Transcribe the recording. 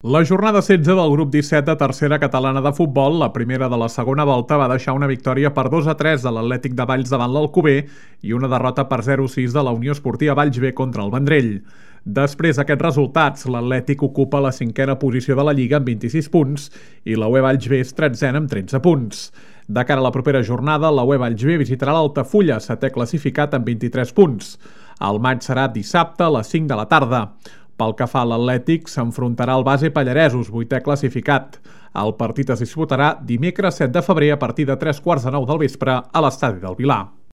La jornada 16 del grup 17 de tercera catalana de futbol, la primera de la segona volta, va deixar una victòria per 2-3 de l'Atlètic de Valls davant l'Alcover i una derrota per 0-6 de la Unió Esportiva Valls B contra el Vendrell. Després d'aquests resultats, l'Atlètic ocupa la cinquena posició de la Lliga amb 26 punts i la UE Valls B és 13 amb 13 punts. De cara a la propera jornada, la UE Valls B visitarà l'Altafulla, setè classificat amb 23 punts. El maig serà dissabte a les 5 de la tarda. Pel que fa a l'Atlètic, s'enfrontarà al Base Pallaresos, vuitè classificat. El partit es disputarà dimecres 7 de febrer a partir de 3:15 del vespre a l'estadi del Vilar.